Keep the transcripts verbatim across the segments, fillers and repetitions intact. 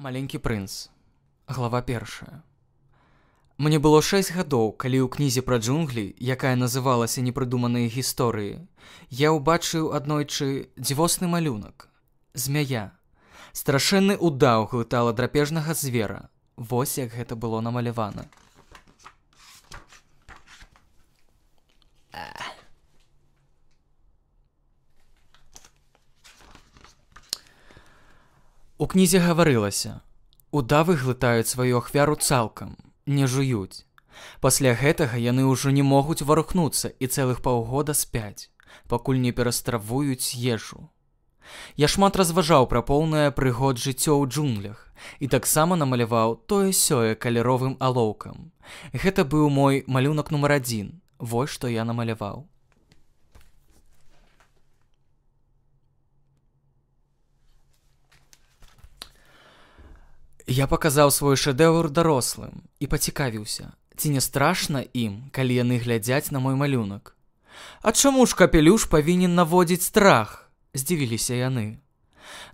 Маленькі прынц. Глава першая. Мне было шэсць гадоў, калі ў кнізе пра джунглі, якая называлася «Непрыдуманыя гісторыі», я ўбачыў аднойчы дзівосны малюнак. Змяя. Страшэнны ўдаў глытала драпежнага звера. Вось як гэта было намалявана. У кнізе гаварылася: удавы глытаюць сваю ахвяру цалкам, не жуюць. Пасля гэтага яны ўжо не могуць варухнуцца і цэлых паўгода спяць, пакуль не перастравуюць ежу. Я шмат разважаў пра поўнае прыгод жыццё ў джунглях і таксама намаляваў тое-сёе каляровым алоўкам. Гэта быў мой малюнак нумар адзін. Вось што я намаляваў. Я паказаў свой шэдэўр дарослым і пацікавіўся, ці не страшна ім, калі яны глядзяць на мой малюнак. А чаму ж капелюш павінен наводзіць страх? Здзівіліся яны.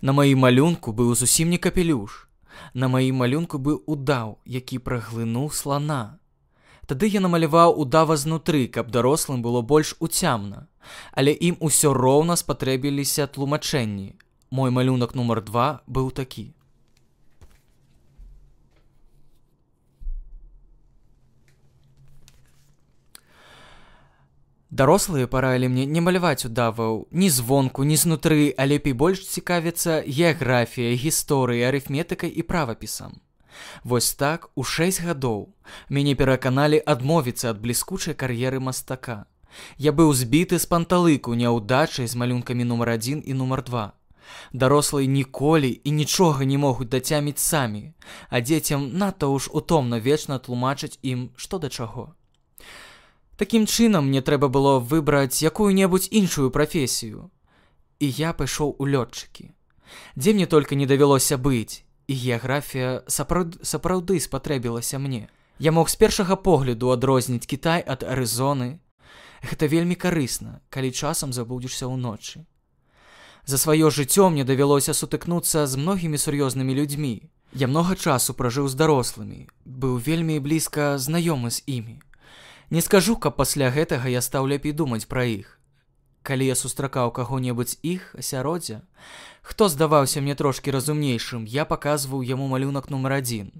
На маім малюнку быў зусім не капелюш. На маім малюнку быў удаў, які праглынуў слана. Тады я намаляваў удава знутры, каб дарослым было больш уцямна, але ім усё роўна спатрэбіліся тлумачэнні. Мой малюнак нумар два быў такі. Дарослыя параілі мне не маляваць удаваў ні звонку, ні знутры, а лепей больш цікавіцца геаграфіяй, гісторыяй, арыфметыкай і правапісам. Вось так у шэсць гадоў мяне пераканалі адмовіцца ад бліскучай кар'еры мастака. Я быў збіты з панталыку няўдачай з малюнкамі нумар адзін і нумар два. Дарослыя ніколі і нічога не могуць дацяміць самі, а дзецям надта ўж утомна вечна тлумачыць ім, што да чаго. Такім чынам мне трэба было выбраць якую-небудзь іншую прафесію. І я пайшоў у лётчыкі. Дзе мне толькі не давялося быць, і геаграфія сапраўд... сапраўды спатрэбілася мне. Я мог з першага погляду адрозніць Кітай ад Арызоны. Гэта вельмі карысна, калі часам забудзешся ўночы. За сваё жыццё мне давялося сутыкнуцца з многімі сур'ёзнымі людзьмі. Я многа часу пражыў з дарослымі, быў вельмі блізка знаёмы з імі. Не скажу, каб пасля гэтага я стаў лепей думаць пра іх. Калі я сустракаў каго-небудзь іх асяроддзя, хто здаваўся мне трошкі разумнейшым, я паказваў яму малюнак нумар адзін.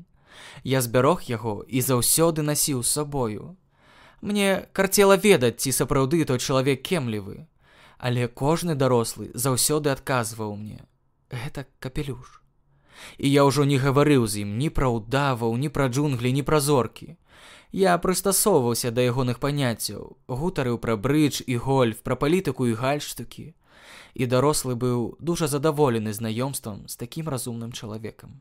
Я збярог яго і заўсёды насіў з сабою. Мне карцела ведаць, ці сапраўды той чалавек кемлівы, але кожны дарослы заўсёды адказваў мне: гэта капелюш. І я ўжо не гаварыў з ім ні пра ўдаваў, ні пра джунглі, ні пра зоркі. Я прыстасоўваўся да ягоных паняццяў, гутарыў пра брыдж і гольф, пра палітыку і гальштукі. І дарослы быў дужа задаволены знаёмствам з такім разумным чалавекам.